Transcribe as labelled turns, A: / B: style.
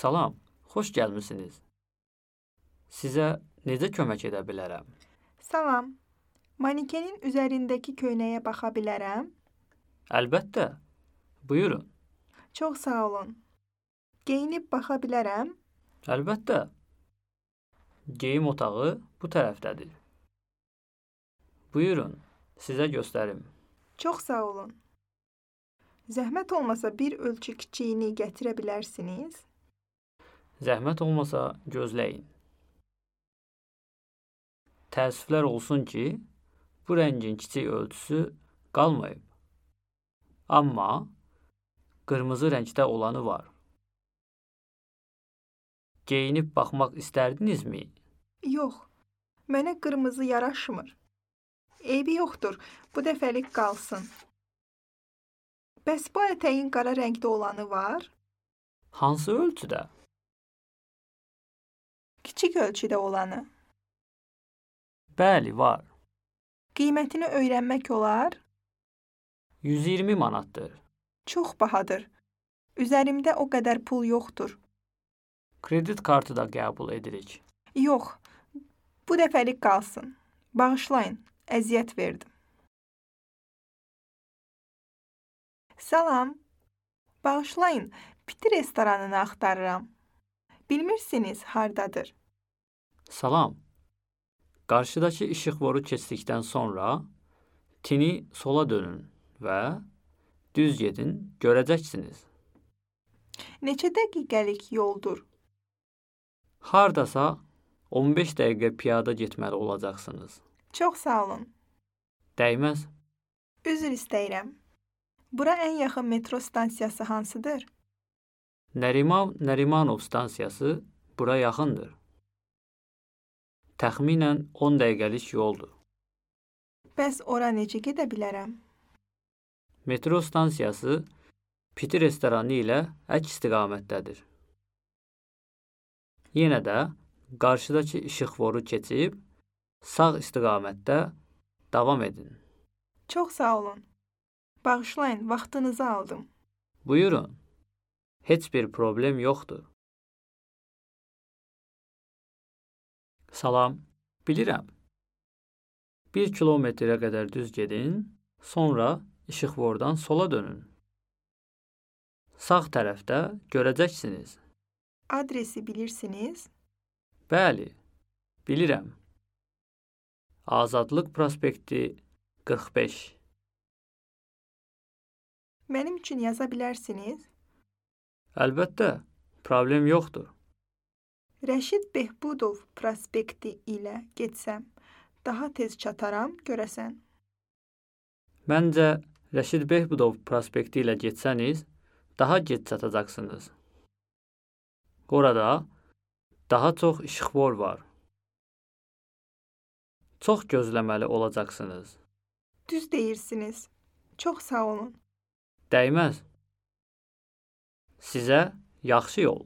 A: Salam, xoş gəlmisiniz. Sizə necə kömək edə bilərəm?
B: Salam. Manikenin üzərindəki köynəyə baxa bilərəm?
A: Əlbəttə, buyurun.
B: Çox sağ olun. Geyinib baxa bilərəm?
A: Əlbəttə. Geyim otağı bu tərəfdədir. Buyurun, sizə göstərim.
B: Çox sağ olun. Zəhmət olmasa bir ölçü kiçiyini gətirə bilərsiniz?
A: Zəhmət olmasa gözləyin. Təəssüflər olsun ki, bu rəngin kiçik ölçüsü qalmayıb. Amma qırmızı rəngdə olanı var. Geyinib baxmaq istərdinizmi?
B: Yox, mənə qırmızı yaraşmır. Eybi yoxdur, bu dəfəlik qalsın. Bəs bu ətəyin qara rəngdə olanı var?
A: Hansı ölçüdə?
B: Kiçik ölçüdə olanı.
A: Bəli, var.
B: Qiymətini öyrənmək olar?
A: 120 manatdır.
B: Çox bahadır. Üzerimdə o qədər pul yoxdur.
A: Kredit kartı da qəbul edirik.
B: Yox, bu dəfəlik qalsın. Bağışlayın, əziyyət verdim. Salam. Bağışlayın, piti restoranını axtarıram. Bilmirsiniz hardadır?
A: Salam. Qarşıdakı işıqforu keçdikdən sonra tini sola dönün və düz gedin, görəcəksiniz.
B: Neçə dəqiqəlik yoldur?
A: Hardasa 15 dəqiqə piyada getməli olacaqsınız.
B: Çox sağ olun.
A: Dəyməz.
B: Üzr istəyirəm. Bura ən yaxın metro stansiyası hansıdır?
A: Nərimanov stansiyası bura yaxındır. Təxminən 10 dəqiqəlik yoldur.
B: Bəs ora necə gedə bilərəm?
A: Metro stansiyası piti restoranı ilə əks istiqamətdədir. Yenə də qarşıdakı işıqforu keçib sağ istiqamətdə davam edin.
B: Çox sağ olun. Bağışlayın, vaxtınızı aldım.
A: Buyurun. Heç bir problem yoxdur. Salam, bilirəm. 1 kilometrə qədər düz gedin, sonra işıqfordan sola dönün. Sağ tərəfdə görəcəksiniz.
B: Adresi bilirsiniz?
A: Bəli, bilirəm. Azadlıq prospekti 45.
B: Mənim üçün yaza bilərsiniz?
A: Əlbəttə, problem yoxdur.
B: Rəşid Behbudov prospekti ilə getsəm, daha tez çataram görəsən.
A: Məncə, Rəşid Behbudov prospekti ilə getsəniz, daha gec çatacaqsınız. Orada daha çox işıqfor var. Çox gözləməli olacaqsınız.
B: Düz deyirsiniz. Çox sağ olun.
A: Dəyməz. Sizə yaxşı yol.